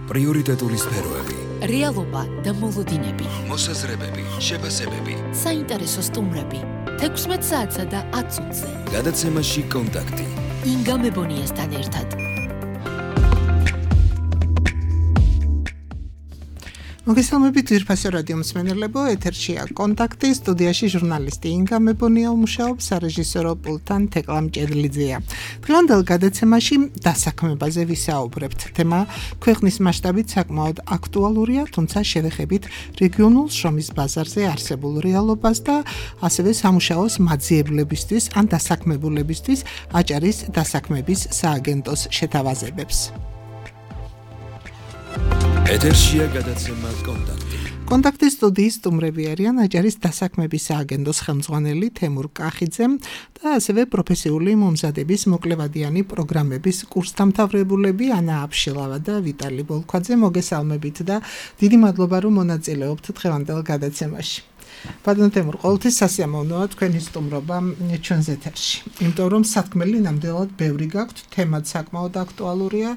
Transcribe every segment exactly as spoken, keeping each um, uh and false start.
პრიორიტეტული სფეროები, რეალობა და მოლოდინები, მოსაზრებები, შეფასებები, საინტერესო სტუმრები, თექვსმეტ საათსა და ათს ოცზე. გადაცემაში კონტაქტი. ინგა მებონიასთან ერთად. მოგესალმებით ძვირფასო რადიო მსმენელებო, ეთერშია კონტაქტი, სტუდიაში ჟურნალისტი ინგა მებონია მუშაობს, სარეჟისორო პულტთან თეკლა მჭედლიძეა. დღევანდელ გადაცემაში დასაქმებაზე ვისაუბრებთ. თემა ქვეყნის მასშტაბით საკმაოდ აქტუალურია, თუმცა შევეხებით რეგიონულ შრომის ბაზარზე არსებულ რეალობას და ასევე სამუშაოს მაძიებლებისთვის ან დასაქმებულებისთვის აჭარის დასაქმების სააგენტოს შეთავაზებებს. ეთერშია გადაცემა კონტაქტი. კონტაქტის სტუდიის სტუმრები არიან აჭარის დასაქმების სააგენტოს ხელმძღვანელი თემურ კახიძე და ასევე პროფესიული მომზადების მოკლევადიანი პროგრამების კურსდამთავრებულები ანა აბშილავა და ვიტალი ბოლქვაძე. მოგესალმებით და დიდი მადლობა რომ მონაწილეობთ დღევანდელ გადაცემაში. ბატონო თემურ, ყოველთვის სასიამოვნოა თქვენი სტუმრობა ჩვენს ეთერში. იმიტომ რომ სათქმელი ნამდვილად ბევრი გაქვთ, თემაც საკმაოდ აქტუალურია,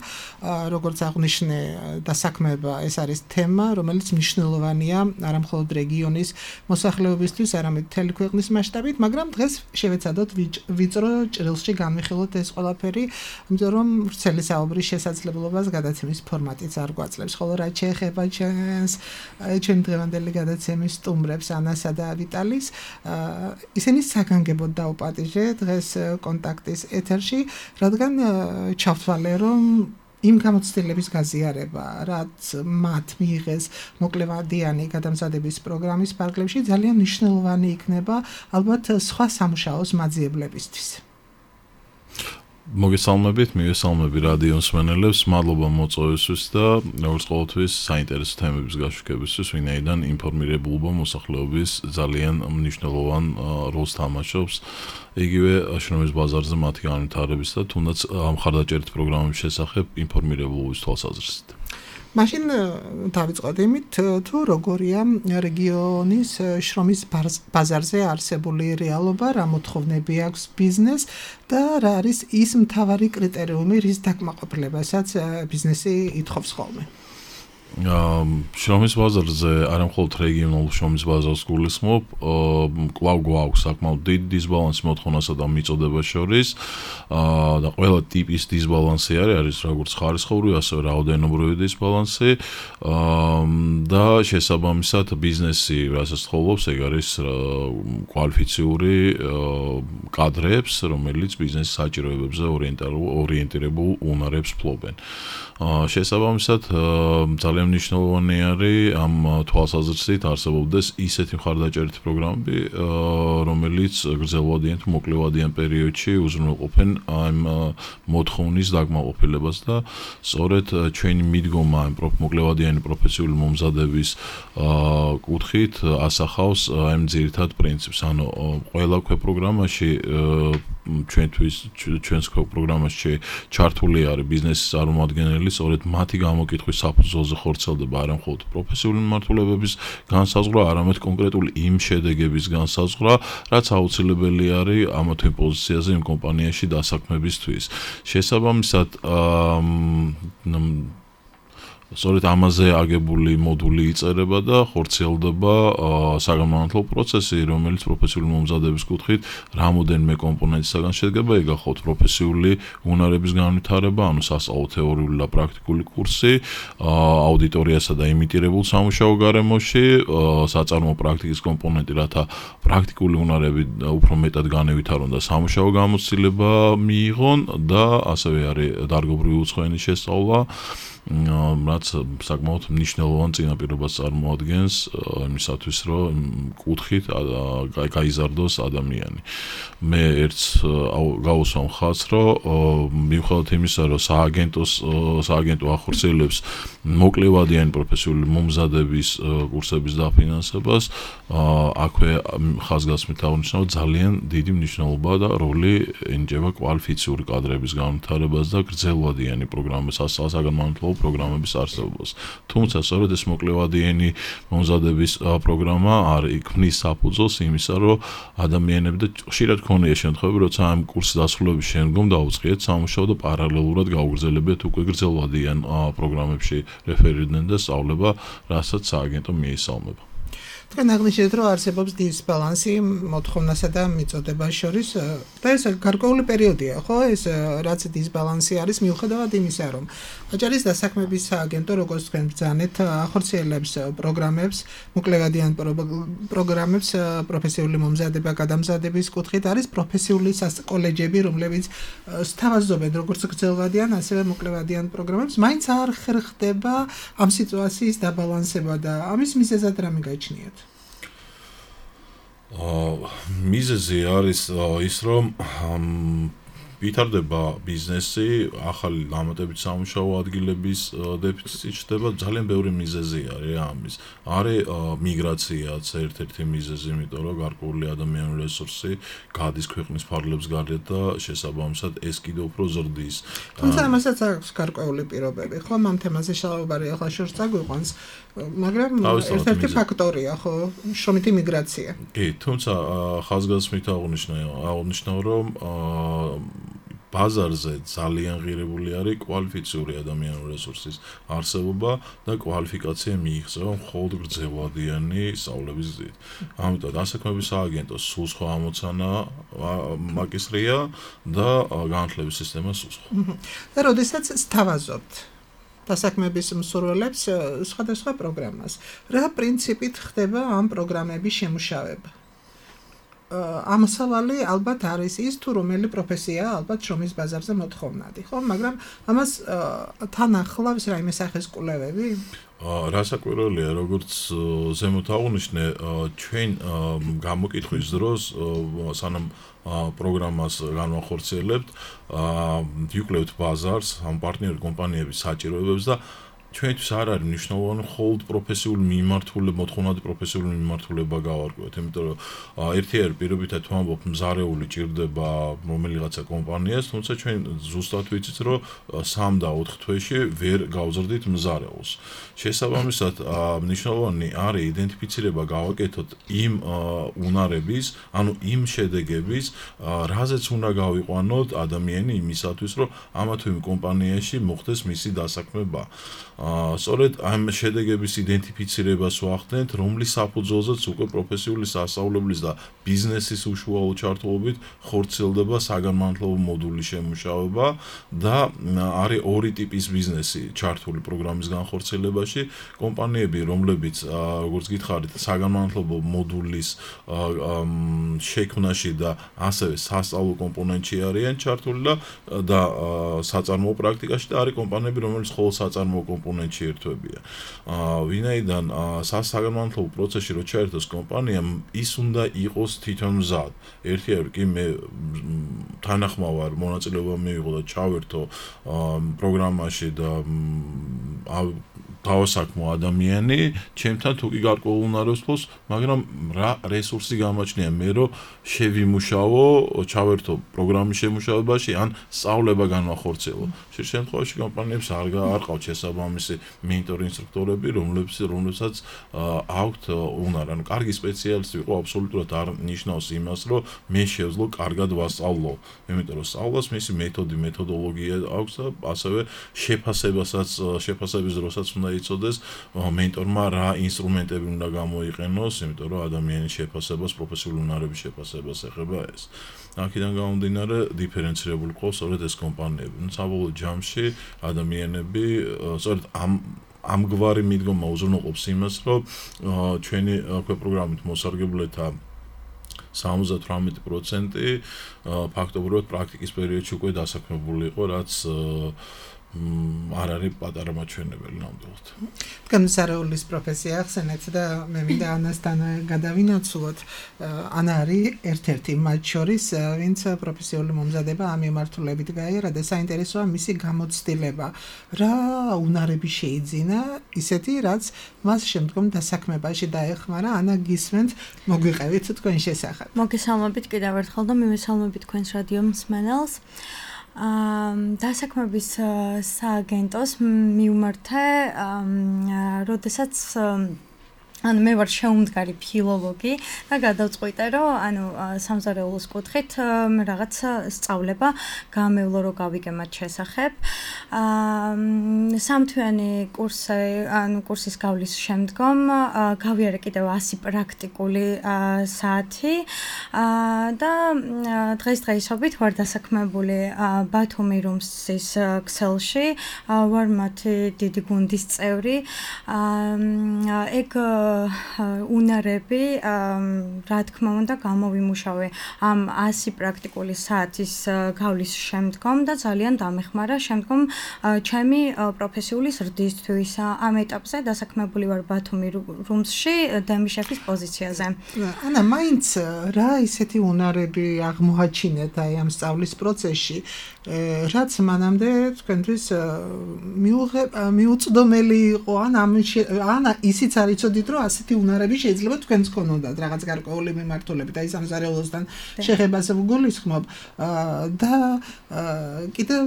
როგორც აღნიშნე დასაქმება ეს არის თემა, რომელიც მნიშვნელოვანია არა მხოლოდ რეგიონის მოსახლეობისთვის, არამედ მთელი ქვეყნის მასშტაბით, მაგრამ დღეს შევეცადოთ ვიწრო ჭრილში განვიხილოთ ეს ყველაფერი, იმიტომ რომ ვრცელი საუბრის შესაძლებლობას გადაცემის ფორმატიც არ გვაძლევს. ხოლო რაც შეეხება ჩვენს ჩვენ დღევანდელი გადაცემის სტუმრებს ანა და ვიტალის, ისინი საგანგებოდ დაუპატიჟე დღეს კონტაქტის ეთერში, რადგან ჩავთვალე, რომ იმ გამოცდილების გაზიარება, რაც მათ მიიღეს მოკლევადიანი გადამზადების პროგრამის ფარგლებში, ძალიან მნიშვნელოვანი იქნება ალბათ სხვა სამუშაოს მაძიებლებისთვის. მოგესალმებით, მივესალმები რადიო მსმენელებს, მადლობა მოწვევისთვის და როგორც ყოველთვის საინტერესო თემების გაშუქებისთვის, ვინაიდან ინფორმირებულობა მოსახლეობის ძალიან მნიშვნელოვან როლს თამაშობს იგივე შრომის ბაზარზე მათი განვითარების და თუნდაც მხარდაჭერით პროგრამების შესახებ ინფორმირებულობის თვალსაზრისით. მაშინ დავიწყოთ იმით, თუ როგორია რეგიონის შრომის ბაზარზე არსებული რეალობა, რა მოთხოვნები აქვს ბიზნეს და რა არის ის მთავარი კრიტერიუმი, რის დაკმაყოფილებასაც ბიზნესი ითხოვს ხოლმე. შრომის ბაზარზე არა მხოლოდ რეგიონულ შრომის ბაზარს გულისხმობ, კვლავ გვაქვს საკმაოდ დიდი დისბალანსი მოთხოვნასა და მიწოდებას შორის და ყველა ტიპის დისბალანსი არის, არის როგორც ხარისხობრივი, ასევე რაოდენობრივი დისბალანსი და შესაბამისად ბიზნესი რასაც თხოვობს, ეგ არის კვალიფიციური კადრებს, რომელიც ბიზნესის საჭიროებებზე ორიენტირებულ უნარებს ფლობენ. შესაბამისად ძალიან მნიშვნელოვანი არის ამ თვალსაზრისით არსებობდეს ისეთი მხარდაჭერითი პროგრამები, რომელიც გრძელვადიან თუ მოკლევადიან პერიოდში უზრუნველყოფენ ამ მოთხოვნის დაკმაყოფილებას და სწორედ ჩვენი მიდგომა ამ მოკლევადიანი პროფესიული მომზადების კუთხით ასახავს ამ ძირითად პრინციპს. ანუ ყველა ქვეპროგრამაში ჩვენთვის ჩვენს პროგრამაში ჩართული არის ბიზნესის წარმომადგენელი, სწორედ მათი გამოკითხვის საფუძველზე ხორციელდება არა მხოლოდ პროფესიული მიმართულებების განსაზღვრა, არამედ კონკრეტული იმ შედეგების განსაზღვრა, რაც აუცილებელი არის ამა თუ იმ პოზიციაზე იმ კომპანიაში დასაქმებისთვის. შესაბამისად, სწორედ ამაზე აგებული მოდული იწერება და ხორციელდება საგანმანათლებლო პროცესი, რომელიც პროფესიული მომზადების კუთხით რამოდენიმე კომპონენტისაგან შედგება, ეგ გახლავთ პროფესიული უნარების განვითარება, ანუ სასწავლო თეორიული და პრაქტიკული კურსი, აუდიტორიასა და იმიტირებულ სამუშაო გარემოში, საწარმო პრაქტიკის კომპონენტი, რათა პრაქტიკული უნარები უფრო მეტად განევითარონ და სამუშაო გამოცდილება მიიღონ და ასევე არის დარგობრივი უცხოენის შესწავლა, რაც საკმაოდ მნიშვნელოვან წინაპირობას წარმოადგენს იმისათვის, რომ კუთხით გაიზარდოს ადამიანი. მე ერთს გავუსვამ ხაზს, რომ მიუხედავად იმისა, რომ სააგენტოს სააგენტო ახორციელებს მოკლევადიანი პროფესიული მომზადების კურსების დაფინანსებას, აქვე ხაზგასმით აღნიშნავ ძალიან დიდი მნიშვნელობა და როლი ენიჭება კვალიფიციური კადრების განვითარებას და გრძელვადიანი პროგრამის საგანმანათლებლო პროგრამების არსებობას. თუმცა სწორედ ეს მოკლევადიანი მომზადების პროგრამა არ იქმნის საფუძველს იმისა, რომ ადამიანები და ხშირად ქონია შემთხვევები, როცა ამ კურსის დასრულების შემდგომ დაუწყიეთ სამუშაო და პარალელურად გაუგრძელებიათ უკვე გრძელვადიან პროგრამებში რეფერირდნენ და სწავლება, რასაც სააგენტო მიესალმება. თქვენ აღნიშნეთ, რომ არსებობს დისბალანსი მოთხოვნასა და მიწოდებას შორის და ეს გარკვეული პერიოდია, ხო? ეს რაც დისბალანსი არის მიუხედავად იმისა, რომ აჭარის დასაქმების სააგენტო, როგორც თქვენ ბრძანეთ, ახორციელებს პროგრამებს, მოკლევადიან პროგრამებს პროფესიული მომზადება გადამზადების კუთხით არის პროფესიული კოლეჯები, რომლებიც სთავაზობენ როგორც გრძელვადიან, ასევე მოკლევადიან პროგრამებს, მაინც არ ხერხდება ამ სიტუაციის დაბალანსება და ამის მიზეზად რა მიგაჩნიათ? მიზეზი არის ის, რომ ვითარდება ბიზნესი, ახალი დამატებით სამუშაო ადგილების დეფიციტი ჩნდება, ძალიან ბევრი მიზეზი არის ამის. არის მიგრაციაც ერთ-ერთი მიზეზი, იმიტომ რომ გარკვეული ადამიანური რესურსი გადის ქვეყნის ფარგლებს გარეთ და შესაბამისად ეს კიდევ უფრო ზრდის. თუმცა ამასაც აქვს გარკვეული პირობები, ხო? ამ თემაზე შალობარი ახლა შორს წაგვიყვანს, მაგრამ ერთ-ერთი ფაქტორია, ხო? შრომითი მიგრაცია. კი, თუმცა ხაზგასმით აღნიშნავ, რომ ბაზარზე ძალიან ღირებული არის კვალიფიციური ადამიანური რესურსის არსებობა და კვალიფიკაცია მიიღწევა მხოლოდ გრძელვადიანი სწავლების გზით. ამიტომ დასაქმების სააგენტოს სულ სხვა ამოცანა მაკისრია და განათლების სისტემა სულ სხვა. და როდესაც სთავაზობთ დასაქმების მსურველებს სხვადასხვა პროგრამას, რა პრინციპით ხდება ამ პროგრამების შემუშავება? ამასავალი ალბათ არის ის, თუ რომელი პროფესია ალბათ შრომის ბაზარზე მოთხოვნადი, ხო? მაგრამ ამას თან ახლავს რაიმე სახის კვლევები? რასაკვირველია, როგორც ზემოთ აღნიშნე, ჩვენ გამოკითხვის დროს სანამ პროგრამას განვახორციელებთ, ვიკვლევთ ბაზარს, ამ პარტნიორი კომპანიების საჭიროებებს და ჩვენთვის არ არის მნიშვნელოვანი მხოლოდ პროფესიული მიმართულება, მოთხოვნადი პროფესიული მიმართულება გავარკვევთ, იმიტომ რომ ერთი არის პირობითად ვამბობ, მზარეული ჭირდება რომელიღაცა კომპანიას, თუმცა ჩვენ ზუსტად ვიცით, რომ სამ და ოთხ თვეში ვერ გავზრდით მზარეულს. შესაბამისად, მნიშვნელოვანი არის იდენტიფიცირება გავაკეთოთ იმ უნარების, ანუ იმ შედეგების, რაზეც უნდა გავიყვანოთ ადამიანი იმისათვის, რომ ამა თუ იმ კომპანიაში მოხდეს მისი დასაქმება. სწორედ ამ შედეგების იდენტიფიცირებას ვახდენთ, რომლის საფუძველზეც უკვე პროფესიული სასწავლებლის და ბიზნესის უშუალო ჩართულობით ხორციელდება საგანმანათლებლო მოდულის შემუშავება და არის ორი ტიპის ბიზნესი ჩართული პროგრამის განხორციელებაში. კომპანიები, რომლებიც, როგორც გითხარით, საგანმანათლებლო მოდულის შექმნაში და ასევე სასწავლო კომპონენტში არიან ჩართული და საწარმოო პრაქტიკაში და არის კომპანიები, რომლებიც მხოლოდ საწარმოო კომპონენტში ერთვებია. ვინაიდან საგანმანათლებლო პროცესში რო ჩაერთოს კომპანია, ის უნდა იყოს თვითონ მზად. ერთი არის კი მე თანახმავარ მონაწილეობა მივიღო და ჩავერთო პროგრამაში და დავასაქმო ადამიანი, ჩემთან თუ კი გარკვეულ უნარებს ფლობს, მაგრამ რა რესურსი გამაჩნია მე რომ შევიმუშავო, ჩავერთო პროგრამის შემუშავებაში, ან სწავლება განვახორციელო. ხშირ შემთხვევაში კომპანიებს არ არ ყავთ შესაბამისი მენტორი ინსტრუქტორები, რომლებიც რომლებსაც აქვთ უნარი. ანუ კარგი სპეციალისტი ვიყო აბსოლუტურად არ ნიშნავს იმას, რომ მე შევძლო კარგად ვასწავლო. იმიტომ რომ სწავლას მისი მეთოდი, მეთოდოლოგია აქვს და ასევე შეფასებასაც, შეფასების დროსაც უნდა იცოდეს მენტორმა რა ინსტრუმენტები უნდა გამოიყენოს, იმიტომ რომ ადამიანის შეფასებას, პროფესიული უნარების შეფასებას ეხება ეს. აქედან გამომდინარე, დიფერენცირებული ყავს სწორედ ეს კომპანიები. ნუ საბოლოო ჯამში ადამიანები სწორედ ამ ამგვარი მიდგომა უზრუნველყოფს იმას, რომ ჩვენი პროგრამით მოსარგებლეთა სამოცდა თვრამეტი პროცენტი ფაქტობრივად პრაქტიკის პერიოდში უკვე დასაქმებული იყო, რაც არ არის პატარა მაჩვენებელი ნამდვილად. თქვენ სარეულის პროფესია ახსენეთ და მე მინდა ანასთან გადავინაცვლოთ. ანა არის ერთ-ერთი მათ შორის, ვინც პროფესიული მომზადება ამ მიმართულებით გაიარა და საინტერესოა მისი გამოცდილება. რა უნარები შეიძინა, ისეთი, რაც მას შემდგომ დასაქმებაში დაეხმარა. ანა, გისმენთ, მოგვიყევით თქვენ შესახებ. მოგესალმებით კიდევ ერთხელ და მივესალმებით თქვენს რადიო მსმენელს. დასაქმების სააგენტოს მივმართე, როდესაც ანუ მე ვარ შეუმდგარი ფილოლოგი და გადავწყვიტე რომ ანუ სამზარეულოს კუთხით რაღაც სწავლება გამევლო რომ გავიგე მათ შესახებ. სამთვიანი კურსი ანუ კურსის გავლის შემდგომ გავიარე კიდევ ასი პრაქტიკული საათი და დღესდღეობით ვარ დასაქმებული ბათუმი რუმსის ქსელში, ვარ მათი დიდი გუნდის წევრი. ეგ უნარები, რა თქმა უნდა, გამოვიმუშავე ამ ასი პრაქტიკული საათის გავლის შემდგომ და ძალიან დამეხმარა შემდგომ ჩემი პროფესიული ზრდისთვის. ამ ეტაპზე დასაქმებული ვარ ბათუმი რუმსში დემი შეფის პოზიციაზე. ანა, მაინც რა ისეთი უნარები აღმოაჩინეთ აი ამ სწავლის პროცესში, რაც მანამდე თქვენთვის მიუწვდომელი იყო, ან ან ისიც არ იცოდით, რომ ასეთი უნარები შეიძლება თქვენს გქონოდათ რაღაც გარკვეული მიმართულებით, აი სამზარეულოსთან შეხებას ვგულისხმობ და კიდევ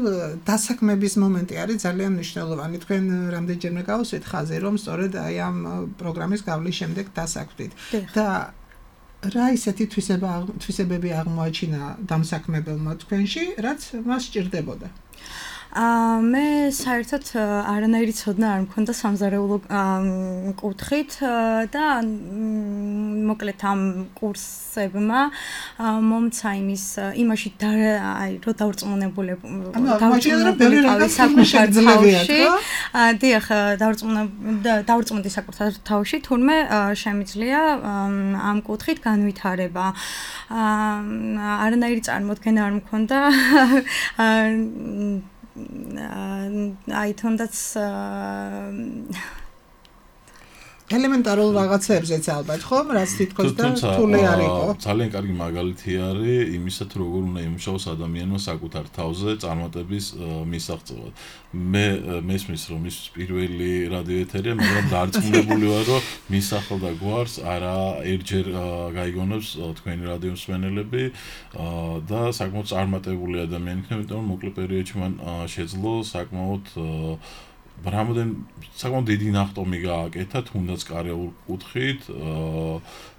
დასაქმების მომენტი არის ძალიან მნიშვნელოვანი. თქვენ რამდენჯერმე გავუსვით ხაზი, რომ სწორედ აი ამ პროგრამის გავლის შემდეგ დასაქმდით და რა ისეთი თვისება თვისებები აღმოაჩინა დამსაქმებელმა თქვენში, რაც მას სჭირდებოდა? მე საერთოდ არანაირი ცოდნა არ მქონდა სამზარეულო კუთხით და მოკლედ ამ კურსებმა მომცა იმის იმაში აი რო დავრწმუნებული დავრწმუნებული საკუთარ თავში. დიახ, დავრწმუნდი საკუთარ თავში, თურმე შემიძლია ამ კუთხით განვითარება. არანაირი წარმოდგენა არ მქონდა აი თუნდაც ელემენტარულ რაღაცებზეც ალბათ, ხო? რაც თითქოს და რთული არ იყო. ძალიან კარგი მაგალითი არის იმისა, თუ როგორ უნდა იმუშაოს ადამიანმა საკუთარ თავზე წარმატების მისაღწევად. მე მესმის რომ ის პირველი რადიო ეთერია, მაგრამ დარწმუნებული ვარ, რომ მის ახალ გვარს არა ერთჯერ გაიგონებს თქვენი რადიო მსმენელები და საკმაოდ წარმატებული ადამიანი იქნება, იმიტომ რომ მოკლე პერიოდში მან შეძლო საკმაოდ რამოდენ საკმაოდ დიდი ნახტომი გააკეთა, თუნდაც კარიერულ კუთხით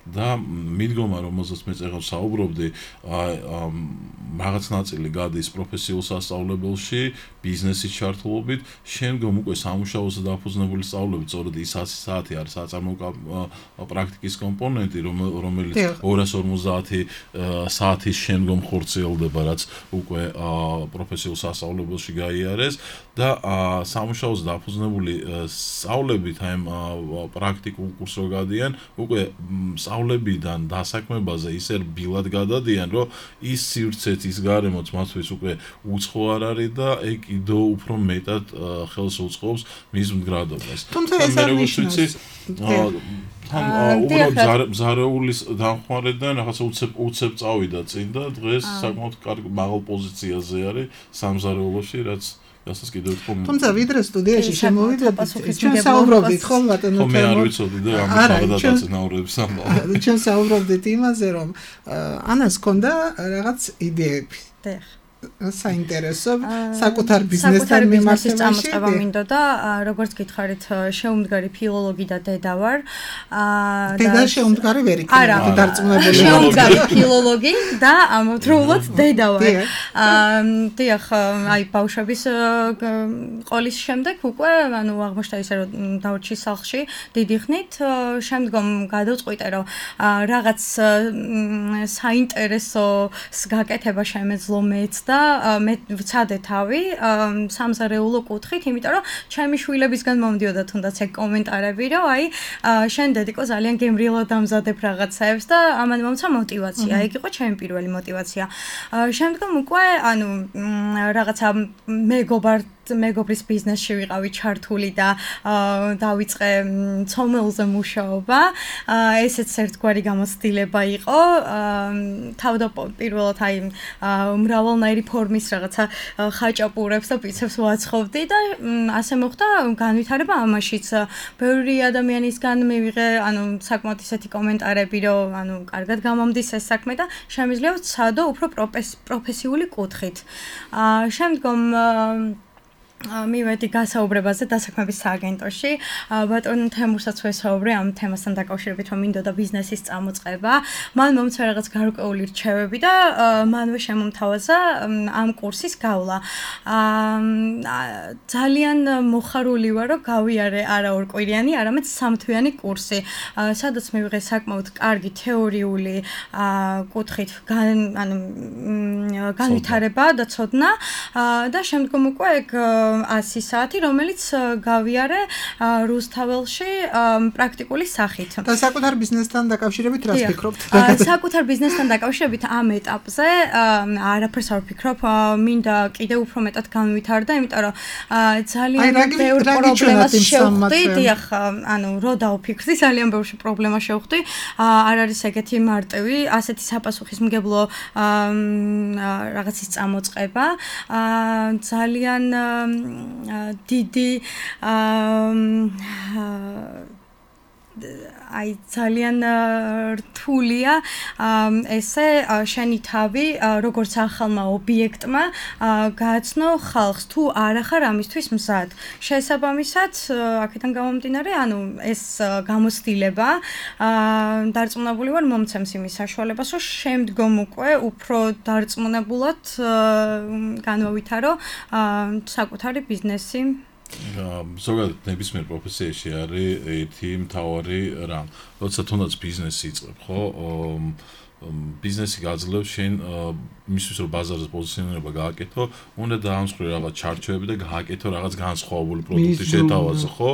და მიდგომა, რომელზეც მე წეგავს საუბრობდი, რაღაც ნაწილი გადის პროფესიულ სასწავლებელში, ბიზნესის ჩართულობით, შემდგომ უკვე სამუშაოზე დაფუძნებული სწავლებით, სწორედ ის ასი საათი არის საწარმოო პრაქტიკის კომპონენტი, რომელიც ორას ორმოცდაათი საათის შემდგომ ხორციელდება, რაც უკვე პროფესიულ სასწავლებელში გაიარეს და სამუშაოზე დაფუძნებული სწავლებით აი ამ პრაქტიკულ კურსს რო გადიან, უკვე სწავლებიდან დასაქმებაზე ისე რბილად გადადიან, რომ ის სივრცეც ის გარემოც მათთვის უკვე უცხო არ არის და ეგ კიდევ უფრო მეტად ხელს უწყობს მის მდგრადობას. თუმცა ეს არ ნიშნავს თან უბრალოდ ზარეულის დამხმარედან რაღაცა უცებ უცებ წავიდა წინ და დღეს საკმაოდ კარგი მაღალ პოზიციაზე არის სამზარეულოში, რაც რასაც კიდევ თქო. თუმცა ვიდრე სტუდიაში შემოვიდეთ, ჩვენ საუბრობდით ხო ბატონო თემო. მე არ ვიცოდი და ამის გადაწყვეტილების ამბავ. ჩვენ საუბრობდით იმაზე, რომ ანას ჰქონდა რაღაც იდეები. დიახ. საინტერესო საკუთარ ბიზნესთან მიმართებაში წამოწყება მინდოდა, როგორც გითხარით, შეუმდგარი ფილოლოგი და დედა ვარ. დედა შეუმდგარი ვერ იქნება, დარწმუნებული ვარ. შეუმდგარი ფილოლოგი და ამავდროულად დედა ვარ. დიახ, აი ბავშვების ყოლის შემდეგ უკვე, ანუ აღმოჩნდა ისე რომ დავრჩი სახლში დიდი ხნით, შემდგომ გადავწყვიტე რომ რაღაც საინტერესოს გაკეთება შემეძლო მეც და მე ვცადე თავი სამზარეულო კუთხით, იმიტომ რომ ჩემი შვილებისგან მომდიოდა თუნდაც ეგ კომენტარები, რომ აი შენ დედიკო ძალიან გემრიელად ამზადებ რაღაცებს და ამან მომცა мотиваცია. ეგ იყო ჩემი პირველი мотиваცია. შემდგომ უკვე ანუ რაღაცა მეგობარ მეგობრის ბიზნესში ვიყავი ჩართული და დავიწყე ცომელზე მუშაობა. ესეც ერთგვარი გამოცდილება იყო. თავდაპირველად აი მრავალნაირი ფორმის რაღაცა ხაჭაპურებს და პიცებს ვაცხობდი და ასე მოხდა განვითარება ამაშიც. ბევრი ადამიანისგან მივიღე, ანუ საკმაოდ ისეთი კომენტარები, რომ ანუ კარგად გამომდის ეს საქმე და შემიძლია ვცადო უფრო პროფესიული კუთხით. აა შემდგომ მივედი გასაუბრებაზე დასაქმების სააგენტოში. ბატონ თემურსაც ვესაუბრე ამ თემასთან დაკავშირებით, რომ მინდოდა ბიზნესის წამოწყება. მან მომცა რაღაც გარკვეული რჩევები და მანვე შემომთავაზა ამ კურსის გავლა. ძალიან მოხარული ვარ, რომ გავიარე არა ორკვირიანი, არამედ სამთვიანი კურსი, სადაც მივიღე საკმაოდ კარგი თეორიული კუთხით ანუ განვითარება და ცოდნა და შემდგომ უკვე ეგ ასი საათი, რომელიც გავიარე რუსთაველში პრაქტიკული სახით. და საკუთარ ბიზნესთან დაკავშირებით რას ფიქრობთ? საკუთარ ბიზნესთან დაკავშირებით ამ ეტაპზე არაფერს არ ვფიქრობ, მინდა კიდევ უფრო მეტად განვითარდა, იმიტომ რომ ძალიან ბევრ პრობლემას შევხვდი, დიახ, ანუ რო დავფიქრდი, ძალიან ბევრ პრობლემას შევხვდი, არ არის ეგეთი მარტივი, ასეთი საპასუხისმგებლო რაღაცის წამოწყება, ძალიან დიდი აი ძალიან რთულია ესე შენი თავი როგორც ახალმა ობიექტმა გააცნო ხალხს თუ არ ახარ ამისთვის მზად. შესაბამისად, აქედან გამომდინარე, ანუ ეს გამოცდილება დარწმუნებული ვარ მომცემს იმის საშუალებას, რომ შემდგომ უკვე უფრო დარწმუნებულად განვავითარო საკუთარი ბიზნესი. ზოგადად ნებისმიერ პროფესიაში არის ერთი მთავარი რამ. როცა თუნდაც ბიზნესი იწყებ, ხო? ბიზნესი გაძლევს შენ მისთვის რომ ბაზარზე პოზიციონირება გააკეთო, უნდა დაამსხვრე რაღაც ჩარჩოები და გააკეთო რაღაც განსხვავებული პროდუქტი შეთავაზო, ხო?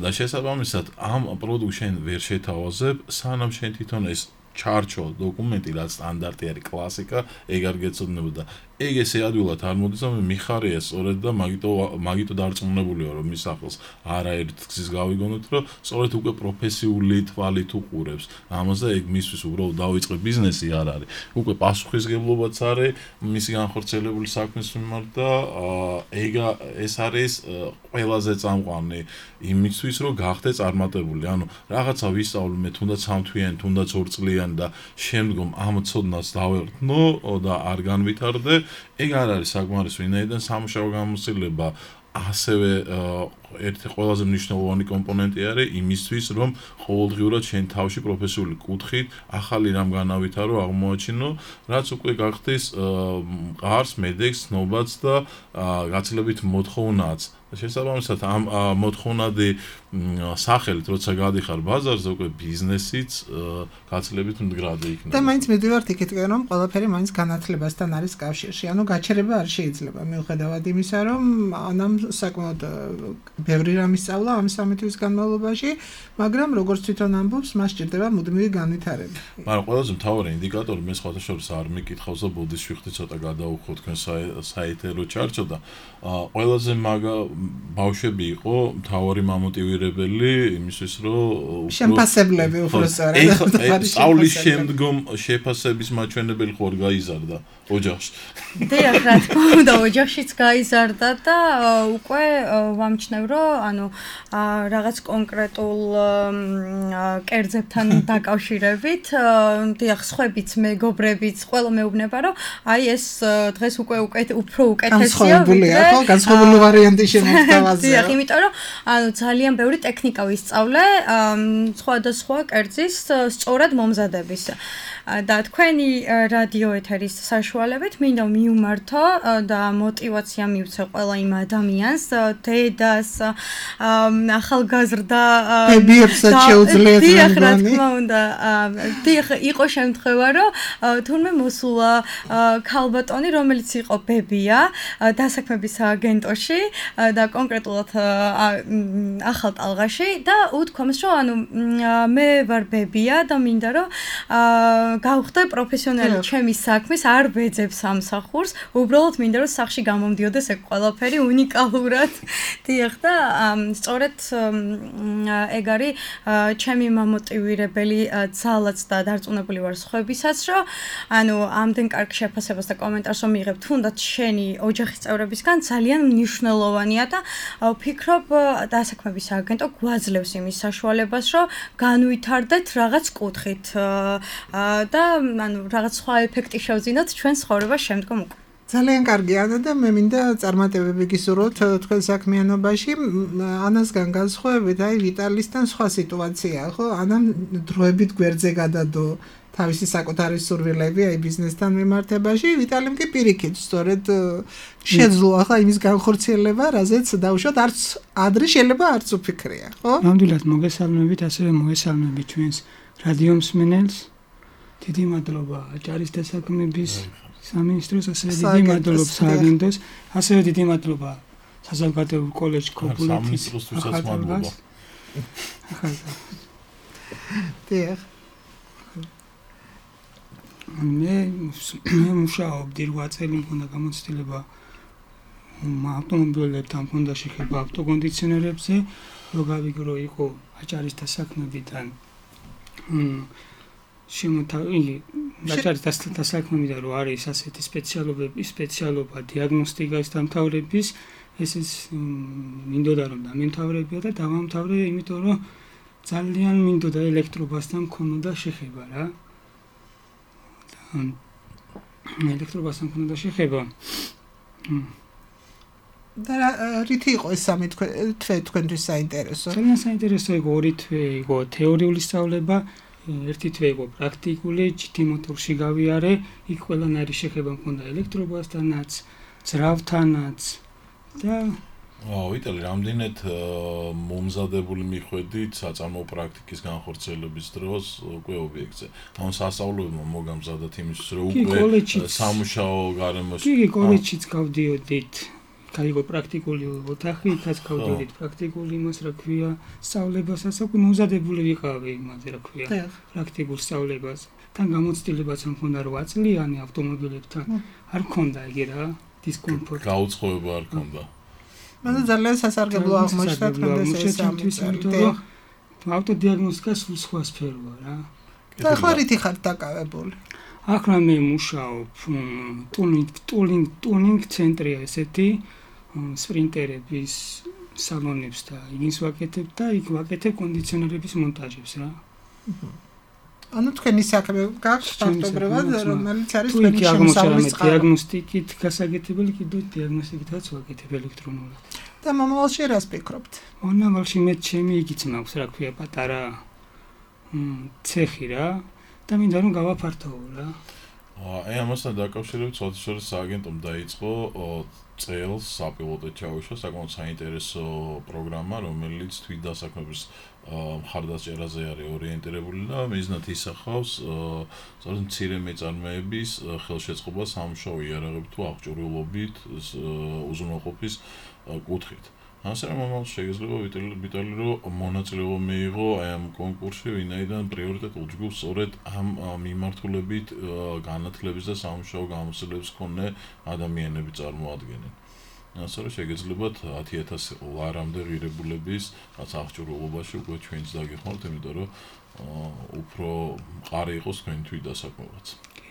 და შესაბამისად ამ პროდუქტს შენ ვერ შეთავაზებ, სანამ შენ თვითონ ეს ჩარჩო დოკუმენტი რაც სტანდარტი არის კლასიკა, ეგ არ გეცოდნებოდა. ეგ ესე ადვილად არ მოდის, რომ მიხარია სწორედ და მაგიტო მაგიტო დარწმუნებული ვარ, რომ მის ახლს არაერთ გზის გავიგონოთ, რომ სწორედ უკვე პროფესიული თვალით უყურებს. ამას და ეგ მისთვის უბრალოდ დავიწყე ბიზნესი არ არის. უკვე პასუხისგებლობაც არის მისი განხორციელებული საქმის მიმართ და ეგ ეს არის ყველაზე წამყვანი იმისთვის, რომ გახდე წარმატებული. ანუ რაღაცა ვისწავლე მე თუნდაც სამთვიანი, თუნდაც ორწლიანი და შემდგომ ამ ცოდნას დავერტნო და არ განვითარდე. ეგ არ არის საკმარის ვინაიდან სამუშაო გამოცდილება ასევე ერთი ყველაზე მნიშვნელოვანი კომპონენტი არის იმისთვის, რომ ყოველდღიურად შენ თავში პროფესიული კუთხით ახალი რამ განავითარო, აღმოაჩინო, რაც უკვე გახდეს მყარს, მედეგს, ცნობაც და გაცილებით მოთხოვნაც. შესაბამისად ამ მოთხოვნადი სახელით, როცა გადიხარ ბაზარზე, უკვე ბიზნესიც გაცილებით მდგრადი იქნება. და მაინც მივდივართ იქითკენ, რომ ყველაფერი მაინც განათლებასთან არის კავშირში. ანუ გაჩერება არ შეიძლება, მიუხედავად იმისა, რომ ანამ საკმაოდ ბევრი რამის სწავლა ამ სამი თვის განმავლობაში, მაგრამ როგორც თვითონ ამბობს, მას სჭირდება მუდმივი განვითარება. მაგრამ ყველაზე მთავარი ინდიკატორი მე სხვათა შორის არ მიკითხავს და ბუდის შევხვდი ცოტა გადაუხო თქვენ საეთერო ჩარჩო და ყველაზე მაგა ბავშვები იყო მთავარი მამოტივირებელი იმისთვის, რომ შეფასებლები უფრო სწორად სწავლის შემდგომ შეფასების მაჩვენებელი ხوار გაიზარდა ოჯახში. დიახ, რა თქმა უნდა, ოჯახშიც გაიზარდა და უკვე ვამჩნევ, რომ ანუ რაღაც კონკრეტულ კერძებთან დაკავშირებით, დიახ, სხვებიც, მეგობრებიც, ყველა მეუბნება, რომ აი ეს დღეს უკვე უფრო უკეთესია, ვიდრე განსხვავებული ვარიანტი შემოთავაზა. დიახ, იმიტომ რომ ანუ ძალიან ბევრი ტექნიკა ვისწავლე, სხვადასხვა კერძის სწორად მომზადების. და თქვენი რადიო ეთერის საშუალებით მინდა მიუმართო და мотиваცია მივცე ყველა იმ ადამიანს, დედას, ახალგაზრდა ბებიებსაც შეუძლიათ დიახ, რა თქმა უნდა. დიახ, იყო შემთხვევა, რომ თურმე მოსულა ქალბატონი, რომელიც იყო ბებია დასაქმების სააგენტოში და კონკრეტულად ახალ ტალღაში და უთქვამს, რომ ანუ მე ვარ ბებია და მინდა რომ გავხდე პროფესიონალი ჩემი საქმის, არ ვეძებ სამსახურს, უბრალოდ მინდა რომ სახში გამომდიოდეს ეგ ყველაფერი უნიკალურად. დიახ და სწორედ ეგ არის ჩემი მამოტივირებელი ძალაც და დარწმუნებული ვარ სხვებისაც, რომ ანუ ამდენ კარგ შეფასებას და კომენტარს რომ მიიღებ, თუნდაც შენი ოჯახის წევრებისგან ძალიან მნიშვნელოვანია და ვფიქრობ დასაქმების სააგენტო გვაძლევს იმის საშუალებას, რომ განვითარდეთ რაღაც კუთხით და ანუ რაღაც სხვა ეფექტი შევძინოთ ჩვენ ცხოვრებას შემდგომ უკვე. ძალიან კარგი ანა და მე მინდა წარმატებები გისურვოთ თქვენ საქმიანობაში. ანასგან განსხვავებით, აი ვიტალისთან სხვა სიტუაციაა, ხო? ანამ დროებით გვერდზე გადადო თავისი საკუთარი სურვილები აი ბიზნესთან მიმართებაში, ვიტალიმ კი პირიქით, სწორედ შეძლო ახლა იმის განხორციელება, რაზეც დავუშვათ, არც ადრე შეიძლება არც უფიქრია, ხო? ნამდვილად მოგესალმებით, ასევე მოგესალმებით ჩვენს რადიო მსმენელს. დიდი მადლობა აჭარის დასაქმების სამინისტროს, ასევე დიდი მადლობა სააგენტოს, ასევე დიდი მადლობა საზოგადოებრივ კოლეჯ კოპულეთის მადლობა. დიახ. მე მე მუშაობდი რვა წელი მქონდა გამოცდილება ავტომობილებთან მქონდა შეხება ავტოკონდიციონერებზე, რო გავიგრო იყო აჭარის დასაქმებიდან შემოთავილი აჭარის დასაქმებიდან რო არის ასეთი სპეციალობები, სპეციალობა დიაგნოსტიკის დამთავრების, ესეც მინდოდა რომ დამემთავრებია და დავამთავრე, იმიტომ რომ ძალიან მინდოდა ელექტრობასთან მქონოდა შეხება რა. ელექტრობასთან მქონოდა შეხება. და რითი იყო ეს სამი თვე თქვენთვის საინტერესო? ძალიან საინტერესო იყო ორი თვე იყო თეორიული სწავლება, ერთი თვე იყო პრაქტიკული, ჯითი მოტორში გავიარე, იქ ყველანაირი შეხება მქონდა ელექტრობასთანაც, ძრავთანაც და აა ვიტალი, რამდენად მომზადებული მიხვედით საწარმოო პრაქტიკის განხორციელების დროს უკვე ობიექტზე. ანუ სასწავლებლო მოგამზადათ იმისთვის, რომ უკვე სამუშაო გარემოში. კი, კოლეჯშიც გავდიოდით. გაიგო პრაქტიკული ოთახი, იქაც გავდიოდით პრაქტიკული იმას, რა ქვია, სწავლებასაც, უკვე მომზადებული ვიყავი იმაზე, რა ქვია, პრაქტიკულ სწავლებას. თან გამოცდილებაც მქონდა რვა წლიანი ავტომობილებთან. არ მქონდა იგი რა, დისკომფორტი. გაუწყოება არ მქონდა. მაგრამ ძალიან სასარგებლო აღმოჩნდა თქვენს ეს ამიტომ. ავტოდიაგნოსტიკა სულ სხვა სფეროა რა. და ახლა რითი ხართ დაკავებული? ახლა მე მუშაობ ტუნინგ ტუნინგ ტუნინგ ცენტრია ესეთი სპრინტერების სალონებს და იგინს ვაკეთებ და იქ ვაკეთებ კონდიციონერების მონტაჟებს რა. ანუ თქვენი საქმე გაქვს ფაქტობრივად, რომელიც არის თქვენი შემოსავლის წყარო. დიაგნოსტიკით გასაგეთებელი, კიდევ დიაგნოსტიკითაც ვაკეთებ ელექტრონულად. და მომავალში რას ფიქრობთ? მომავალში მე ჩემი იგიც მაქვს, რა ქვია, პატარა ცეხი რა და მინდა რომ გავაფართოვო რა. აი ამასთან დაკავშირებით სოციალურ სააგენტომ დაიწყო წელს საპილოტოდ ჩაუშვა საკმაოდ საინტერესო პროგრამა, რომელიც თვითდასაქმების მხარდაჭერაზე არის ორიენტირებული და მიზნად ისახავს სწორედ მცირე მეწარმეების ხელშეწყობა სამუშაო იარაღებით თუ აღჭურვილობით უზრუნველყოფის კუთხით. ასე რომ მომავალ შეიძლება ვიტალი რომ მონაწილეობა მიიღო აი ამ კონკურსში, ვინაიდან პრიორიტეტულ ჯგუფს სწორედ ამ მიმართულებით განათლების და სამუშაო გამოცდილების მქონე ადამიანები წარმოადგენენ. ასე რომ შეგეძლებათ ათი ათასი ლარამდე ღირებულების რაც აღჭურვილობაში უკვე ჩვენც დაგეხმართ, იმიტომ რომ უფრო მყარი იყოს თქვენი თვითდასაქმებაც.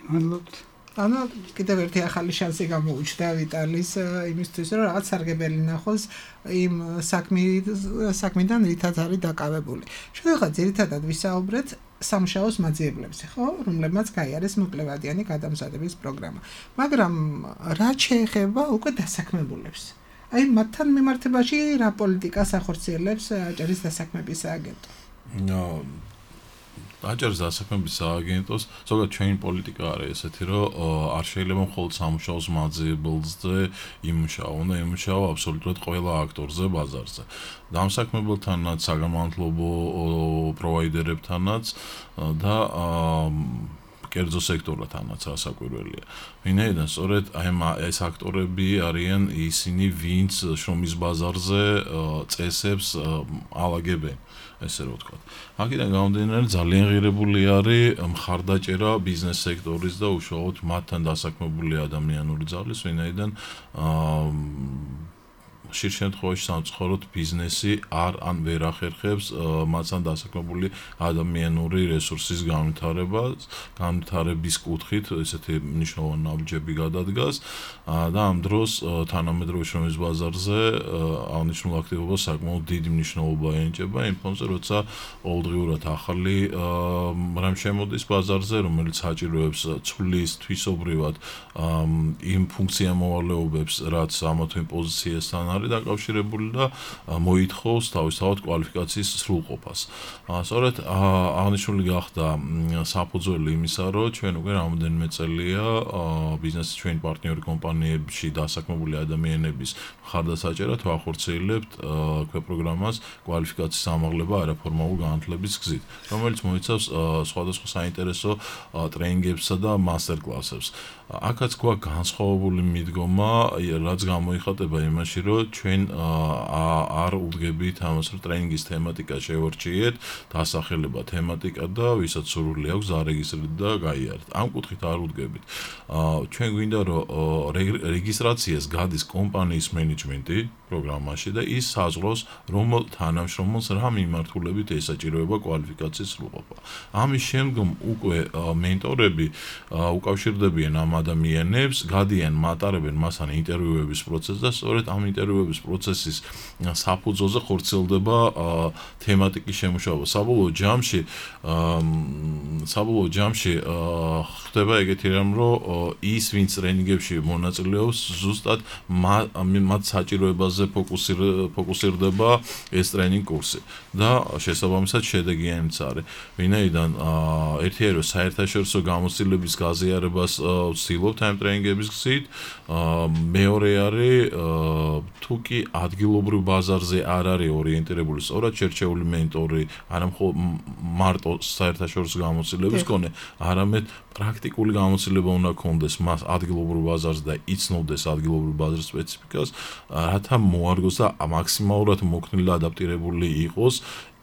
მადლობთ. ანუ კიდევ ერთი ახალი შანსი გამოუჩნდა ვიტალის იმისთვის, რომ რაღაც სარგებელი ნახოს იმ საქმიდან, რითაც არის დაკავებული. შეიძლება ძირითადად ვისაუბრეთ სამუშაოს მაძიებლებზე, ხო, რომლებმაც გაიარეს მოკლევადიანი გადამზადების პროგრამა. მაგრამ რა შეეხება უკვე დასაქმებულებს? აი მათთან მიმართებაში რა პოლიტიკას ახორციელებს აჭარის დასაქმების სააგენტო? ნო აჭარის დასაქმების სააგენტოს ზოგადად ჩვენი პოლიტიკა არის ესეთი, რომ არ შეიძლება მხოლოდ სამუშაოს მაძიებელზე იმუშაო, უნდა იმუშაო აბსოლუტურად ყველა აქტორზე ბაზარზე. დამსაქმებელთანაც, საგანმანათლებლო პროვაიდერებთანაც და კერძო სექტორათანაც რასაკვირველია. ვინაიდან სწორედ აი ეს აქტორები არიან ისინი, ვინც შრომის ბაზარზე წესებს ალაგებენ, ესე რომ ვთქვათ. აქედან გამომდინარე ძალიან ღირებული არის მხარდაჭერა ბიზნეს სექტორის და უშუალოდ მათთან დასაქმებული ადამიანური ძალის, ვინაიდან ხშირ შემთხვევაში სამწუხაროდ ბიზნესი არ ან ვერ ახერხებს მათთან დასაქმებული ადამიანური რესურსის განვითარებას, განვითარების კუთხით ესეთი მნიშვნელოვანი ნაბიჯები გადადგას და ამ დროს თანამედროვე შრომის ბაზარზე აღნიშნულ აქტივობას საკმაოდ დიდი მნიშვნელობა ენიჭება იმ ფონზე, როცა ყოველდღიურად ახალი რამ შემოდის ბაზარზე, რომელიც საჭიროებს ცვლის თვისობრივად იმ ფუნქციამოვალეობებს, რაც ამა თუ იმ პოზიციასთან არის დაკავშირებული და მოითხოვს თავისთავად კვალიფიკაციის სრულყოფას. სწორედ აღნიშნული გახდა საფუძველი იმისა, რომ ჩვენ უკვე რამოდენიმე წელია ბიზნესის ჩვენი პარტნიორი კომპანიებში დასაქმებული ადამიანების მხარდასაჭერად ვახორციელებთ ქვეპროგრამას კვალიფიკაციის ამაღლება არაფორმალურ განათლების გზით, რომელიც მოიცავს სხვადასხვა საინტერესო ტრენინგებსა და მასტერ-კლასებს. აქაც გვაქვს განსხვავებული მიდგომა, რაც გამოიხატება იმაში, რომ ჩვენ არ უდგებით ამას, რომ ტრენინგის თემატიკა შევარჩიეთ, დასახელება თემატიკა და ვისაც სურვილი აქვს ზარეგისტრირდეთ და გაიარეთ. ამ კუთხით არ უდგებით. ჩვენ გვინდა, რომ რეგისტრაციას გადის კომპანიის მენეჯმენტი პროგრამაში და ის საზღვრავს, რომელ თანამშრომელს რა მიმართულებით ესაჭიროება კვალიფიკაციის სრულყოფა. ამის შემდგომ უკვე მენტორები უკავშირდებიან ამ ადამიანებს, გადიან, მატარებენ მასთან ინტერვიუების პროცესს და სწორედ ამ ინტერვიუების პროცესის საფუძველზე ხორციელდება თემატიკის შემუშავება. საბოლოო ჯამში საბოლოო ჯამში ხდება ეგეთი რამ, რომ ის, ვინც ტრენინგებში მონაწილეობს, ზუსტად მათ საჭიროებაზე ფოკუსირდება ეს ტრენინგ კურსი და შესაბამისად შედეგიანიც არის. ვინაიდან ერთი არის საერთაშორისო გამოცდილების გაზიარებას ვცდილობთ ამ ტრენინგების გზით, მეორე არის თუ კი ადგილობრივ ბაზარზე არ არის ორიენტირებული სწორად შერჩეული მენტორი, არა მხოლოდ მარტო საერთაშორისო გამოცდილების მქონე, არამედ პრაქტიკული გამოცდილება უნდა ქონდეს მას ადგილობრივ ბაზარზე და იცნობდეს ადგილობრივ ბაზრის სპეციფიკას, რათა მოარგოს და მაქსიმალურად მოქნილი და ადაპტირებული იყოს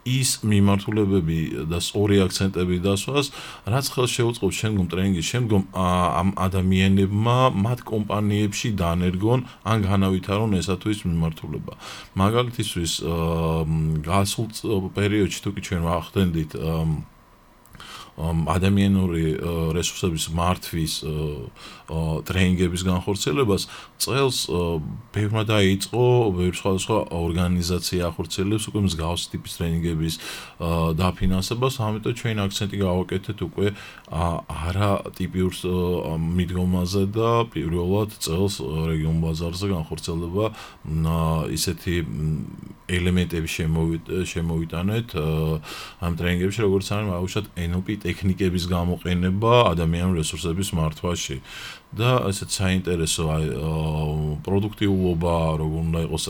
ის მიმართულებები და სწორი აქცენტები დასვას, რაც ხელს შეუწყობს შემდგომ ტრენინგის შემდგომ ამ ადამიანებმა მათ კომპანიებში დანერგონ ან განავითარონ ესა თუ ის მიმართულება. მაგალითისთვის გასულ პერიოდში თუ კი ჩვენ ვახდენდით ადამიანური რესურსების მართვის ტრენინგების განხორციელებას, წელს ბევრმა დაიწყო, ბევრ სხვადასხვა ორგანიზაცია ახორციელებს უკვე მსგავსი ტიპის ტრენინგების დაფინანსებას, ამიტომ ჩვენ აქცენტი გავაკეთეთ უკვე არა ტიპიურ მიდგომაზე და პირველად წელს რეგიონ ბაზარზე განხორციელდება ისეთი ელემენტები შემოვიტანეთ ამ ტრენინგებში, როგორც არის აუშვათ ენ ელ პი ტექნიკების გამოყენება ადამიანური რესურსების მართვაში და ესეც საინტერესო აი პროდუქტიულობა, როგორ უნდა იყოს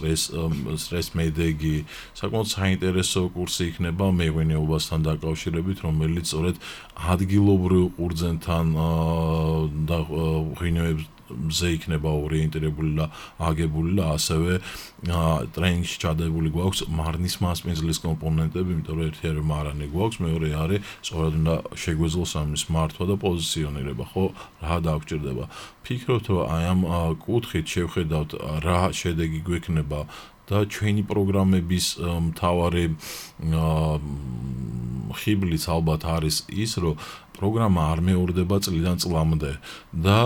სტრეს მედეგი, საკმაოდ საინტერესო კურსი იქნება მეღვინეობასთან დაკავშირებით, რომელიც სწორედ ადგილობრივ ყურძენთან და ღვინეებს ზე იქნება ორიენტირებული და აგებული და ასევე ტრენინგში ჩადებული გვაქვს მარნის მასპინძლის კომპონენტები, იმიტომ რომ ერთი არის მარანი გვაქვს, მეორე არის სწორად უნდა შეგვეძლოს ამის მართვა და პოზიციონირება, ხო, რა დაგვჭირდება. ფიქრობთ, რომ აი ამ კუთხით შევხედავთ რა შედეგი გვექნება და ჩვენი პროგრამების მთავარი ხიბლიც ალბათ არის ის, რომ პროგრამა არ მეორდება წლიდან წლამდე და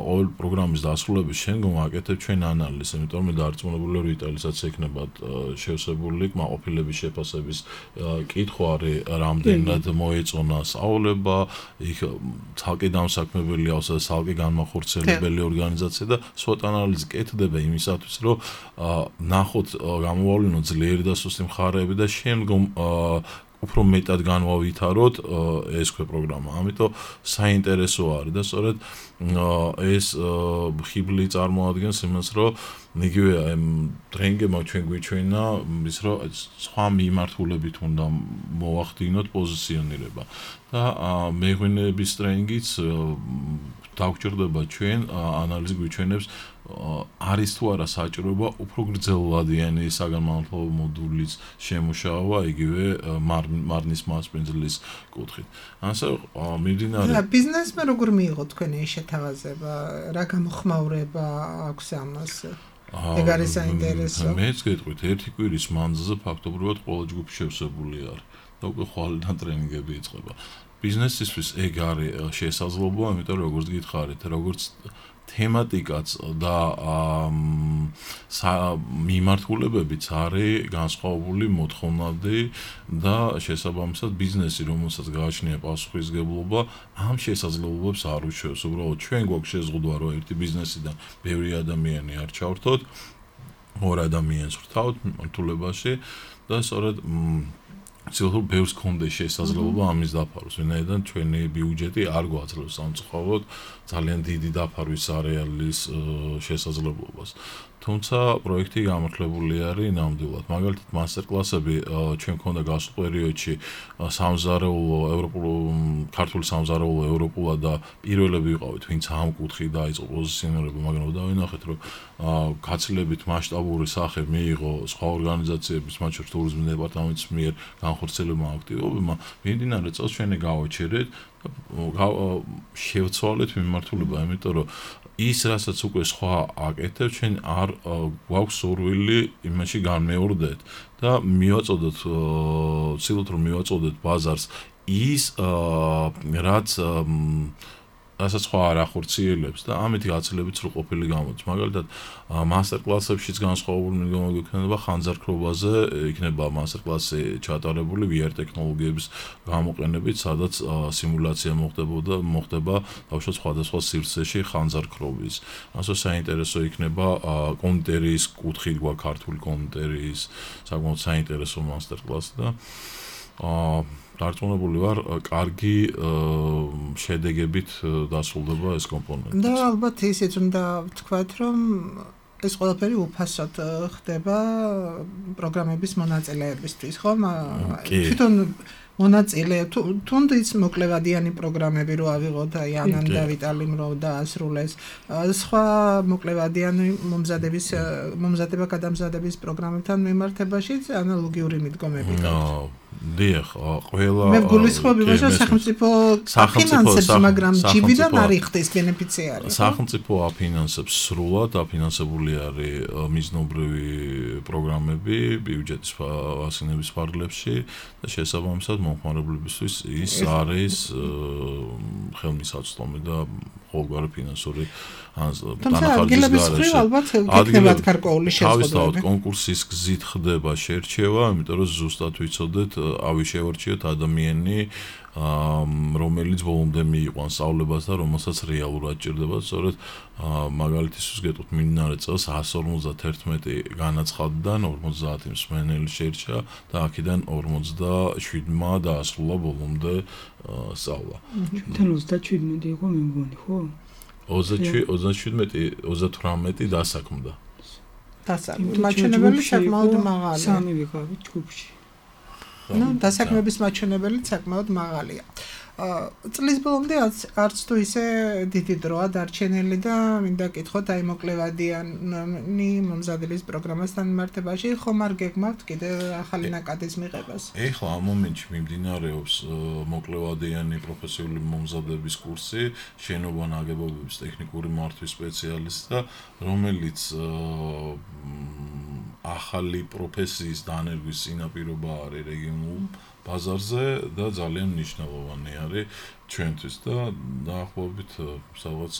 ყოველ პროგრამის დასრულების შემდგომ აკეთებ ჩვენ ანალიზს, იმიტომ რომ დარწმუნებული ვარ იტალისაც ექნება შევსებული კმაყოფილების შეფასების კითხვა არის რამდენად მოეწონა სწავლება, იქ ცალკე დამსაქმებელი ავსა და ცალკე განმახორციელებელი ორგანიზაცია და SWOT ანალიზი კეთდება იმისათვის, რომ ნახოთ გამოავლინოთ ძლიერი და სუსტი მხარეები და შემდგომ უფრო მეტად განვავითაროთ ეს ქვე პროგრამა. ამიტომ საინტერესო არის და სწორედ ეს ხიბლი წარმოადგენს იმას, რომ იგივე ამ ტრენინგებმა ჩვენ გვიჩვენა ის, რომ სხვა მიმართულებით უნდა მოვახდინოთ პოზიციონირება და მეღვინეების ტრენინგიც დაგვჭირდება ჩვენ ანალიზი გვიჩვენებს არის თუ არა საჭიროება უფრო გრძელვადიანი საგანმანათლებლო მოდულის შემუშავა იგივე მარნის მასპინძლის კუთხით. ასე მიმდინარე და ბიზნესმა როგორ მიიღო თქვენი შეთავაზება, რა გამოხმაურება აქვს ამას? ეგ არის საინტერესო. მეც გეტყვით, ერთი კვირის მანძილზე ფაქტობრივად ყველა ჯგუფი შევსებული არის და უკვე ხვალიდან ტრენინგები იწყება. ბიზნესისთვის ეგ არის შესაძლებლობა, იმიტომ რომ როგორც გითხარით, როგორც თემატიკაც და მიმართულებებიც არის განსხვავებული, მოთხოვნადი და შესაბამისად ბიზნესი, რომელსაც გააჩნია პასუხისმგებლობა, ამ შესაძლებლობებს არ უშვებს. უბრალოდ ჩვენ გვაქვს შეზღუდვა, რომ ერთი ბიზნესიდან ბევრი ადამიანი არ ჩავრთოთ, ორ ადამიანს ვრთავთ მიმართულებაში და სწორედ ცდილობ ბევრს კონდეს შესაძლებლობა ამის დაფარვას, ვინაიდან ჩვენი ბიუჯეტი არ გვაძლევს სამწუხაროდ ძალიან დიდი დაფარვის არეალის შესაძლებლობას. თუმცა პროექტი გამართლებული არის ნამდვილად. მაგალითად, მასტერკლასები ჩვენ ქონდა გასულ პერიოდში სამზარეულო, ევროპულ, ქართული სამზარეულო, ევროპულად და პირველები ვიყავით, ვინც ამ კუთხით დაიწყო პოზიციონირება, მაგრამ დავინახეთ, რომ გაცილებით მასშტაბური სახე მიიღო სხვა ორგანიზაციების, მათ შორის ტურიზმის დეპარტამენტის მიერ განხორციელებულმა აქტივობებმა, მიმდინარე წელს ჩვენ გავაჩერეთ და შევცვალეთ მიმართულება, იმიტომ რომ ის, რასაც უკვე სხვა აკეთებს, ჩვენ არ გვაქვს სურვილი იმაში განმეორდეთ და მივაწოდოთ, ვცდილობთ რომ მივაწოდოთ ბაზარს ის, რაც რასაც სხვა არ ახორციელებს და ამით გაცილებით სრულყოფილი გამოდის. მაგალითად, მასტერკლასებშიც განსხვავებული მიდგომა გვექნება ხანძარქრობაზე, იქნება მასტერკლასი ჩატარებული ვი არ ტექნოლოგიების გამოყენებით, სადაც სიმულაცია მოხდებოდა, მოხდება ბავშვთა სხვადასხვა სივრცეში ხანძარქრობის. ასე საინტერესო იქნება კონტერის კუთხით გვაქვს ქართული კონტერის საკმაოდ საინტერესო მასტერკლასი და აა დარწმუნებული ვარ, კარგი შედეგებით დასრულდება ეს კომპონენტი. და ალბათ ისიც უნდა ვთქვათ, რომ ეს ყველაფერი უფასოდ ხდება პროგრამების მონაწილეებისთვის, ხო? თვითონ მონაწილე თუნდაც მოკლევადიანი პროგრამები რო ავიღოთ, აი ანამ და ვიტალიმ რო დაასრულეს, სხვა მოკლევადიანი მომზადების მომზადება გადამზადების პროგრამებთან მიმართებაშიც ანალოგიური მიდგომები გაქვთ. დიახ, ყველა მე გულისხმობ იმას, რომ სახელმწიფო აფინანსებს, მაგრამ ჯიბიდან არ იხდეს ბენეფიციარი. სახელმწიფო აფინანსებს სრულად, აფინანსებული არის მიზნობრივი პროგრამები ბიუჯეტის ასინების ფარგლებში და შესაბამისად მომხმარებლებისთვის ის არის ხელმისაწვდომი და ყოველგვარი ფინანსური დანახარჯის გარეშე. ალბათ გექნებათ გარკვეული შეზღუდვები. თავისთავად კონკურსის გზით ხდება შერჩევა, იმიტომ რომ ზუსტად ვიცოდეთ, ავი შევარჩიოთ ადამიანი, რომელიც ბოლომდე მიიყვანს სწავლებას და რომელსაც რეალურად ჭირდება, სწორედ მაგალითისთვის გეტყვით, მიმდინარე წელს εκατს ორმოცდაერთმეტი განაცხადიდან ორმოცდაათი მსმენელი შერჩა და აქედან ორმოცდაშვიდმა დაასრულა ბოლომდე სწავლა. ჩვენთან ოცდაშვიდმეტი იყო მე მგონი, ხო? ოცდაშვიდმეტი, ოცდათვრამეტი დასაქმდა. დასაქმდა. მაჩვენებელი საკმაოდ მაღალია. სამი ვიყავით ჯგუფში. ნუ დასაქმების მაჩვენებელი საკმაოდ მაღალია. წლის ბოლომდე არც თუ ისე დიდი დროა დარჩენილი და მინდა კითხოთ აი მოკლევადიანი მომზადების პროგრამასთან მიმართებაში ხომ არ გეგმავთ კიდე ახალი ნაკადის მიღებას? ეხლა ამ მომენტში მიმდინარეობს მოკლევადიანი პროფესიული მომზადების კურსი, შენობა ნაგებობების ტექნიკური მართვის სპეციალისტი და რომელიც ახალი პროფესიის დანერგვის წინაპირობა არის რეგიონულ ბაზარზე და ძალიან მნიშვნელოვანი არის ჩვენთვის და დაახლოებით სადღაც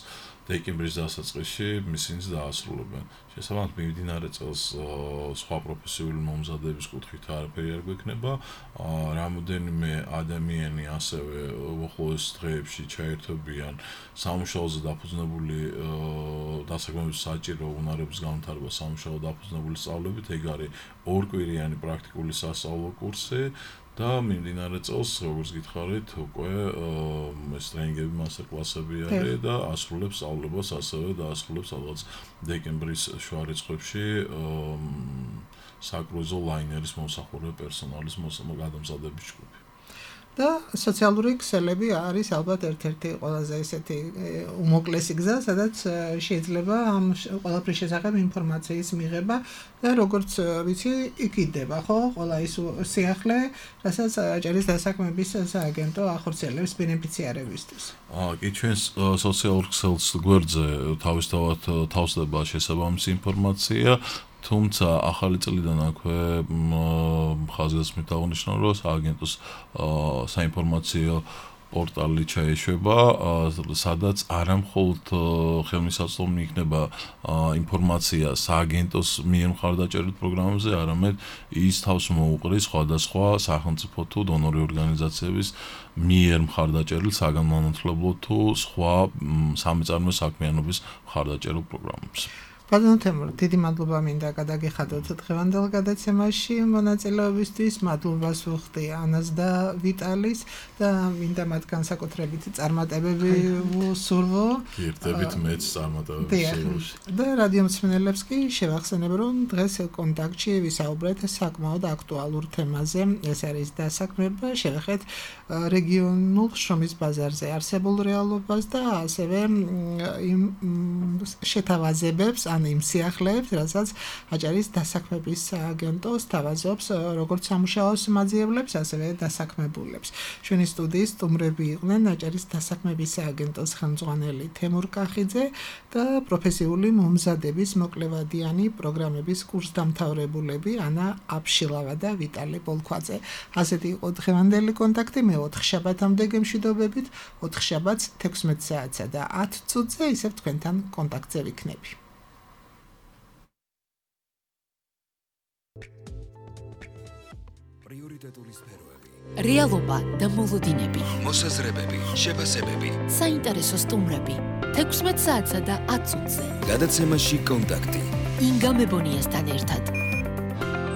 დეკემბრის დასაწყისში მისინიც დაასრულებენ. შესაბამისად, მიმდინარე წელს სხვა პროფესიული მომზადების კუთხით არაფერი არ გვექნება. რამოდენიმე ადამიანი ასევე უახლოეს დღეებში ჩაერთვებიან სამუშაოზე დაფუძნებული დასაქმების საჭირო უნარების განვითარება სამუშაო დაფუძნებული სწავლებით. ეგ არის ორკვირიანი პრაქტიკული სასწავლო კურსი და მიმდინარე წელს, როგორც გითხარით, უკვე ეს ტრენინგები, მასტერკლასები არის და ასრულებს სწავლებას, ასევე დაასრულებს ალბათ დეკემბრის შუა რიცხვებში საკრუიზო ლაინერის მომსახურე პერსონალის გადამზადების ჯგუფი. და სოციალური ქსელები არის ალბათ ერთ-ერთი ყველაზე ესეთი უმოკლესი გზა, სადაც შეიძლება ამ ყველაფრის შესახებ ინფორმაციის მიღება და როგორც ვიცი, იქიდება, ხო, ყველა ის სიახლე, რასაც აჭარის დასაქმების სააგენტო ახორციელებს ბენეფიციარებისთვის. აა, კი, ჩვენს სოციალურ ქსელს გვერდზე თავისთავად თავსდება შესაბამისი ინფორმაცია. თუმცა ახალი წლიდან აქვე ხაზგასმით აღნიშნავ, რომ სააგენტოს საინფორმაციო პორტალი ჩაეშვება, სადაც არა მხოლოდ ხელმისაწვდომი იქნება ინფორმაცია სააგენტოს მიერ მხარდაჭერილ პროგრამებზე, არამედ ის თავს მოუყრის სხვადასხვა სახელმწიფო თუ დონორი ორგანიზაციების მიერ მხარდაჭერილ საგანმანათლებლო თუ სხვა სამეწარმო საქმიანობის მხარდაჭერილ პროგრამებს. ბატონო თემურ, დიდი მადლობა მინდა გადაგიხადოთ დღევანდელ გადაცემაში მონაწილეობისთვის. მადლობას ვუხდი ანას და ვიტალის და მინდა მათ განსაკუთრებით წარმატებები ვუსურვო. ერთებით მეც წარმატებები ვუსურვო. და რადიო მსმენელებს კი შევახსენებ, რომ დღეს კონტაქტში ვისაუბრეთ საკმაოდ აქტუალურ თემაზე. ეს არის დასაქმება, შევეხეთ რეგიონულ შრომის ბაზარზე არსებულ რეალობას და ასევე იმ შეთავაზებებს ან იმ სიახლეებს, რასაც აჭარის დასაქმების სააგენტო სთავაზობს როგორც სამუშაოს მაძიებლებს, ასევე დასაქმებულებს. ჩვენი სტუდიის სტუმრები იყვნენ აჭარის დასაქმების სააგენტოს ხელმძღვანელი თემურ კახიძე და პროფესიული მომზადების მოკლევადიანი პროგრამების კურსდამთავრებულები ანა აფშილავა და ვიტალი ბოლქვაძე. ასეთი იყო დღევანდელი კონტაქტი. მე ოთხ შაბათამდე გემშვიდობებით, ოთხ შაბათს თექვსმეტ საათსა და ათ წუთზე ისევ თქვენთან კონტაქტზე ვიქნები. პრიორიტეტული სფეროები, რეალობა და მოლოდინები, მოსაზრებები, შეფასებები, საინტერესო სტუმრები, თექვსმეტ საათსა და ათ წუთზე. გადაცემაში კონტაქტი. ინგა მებონიასთან ერთად.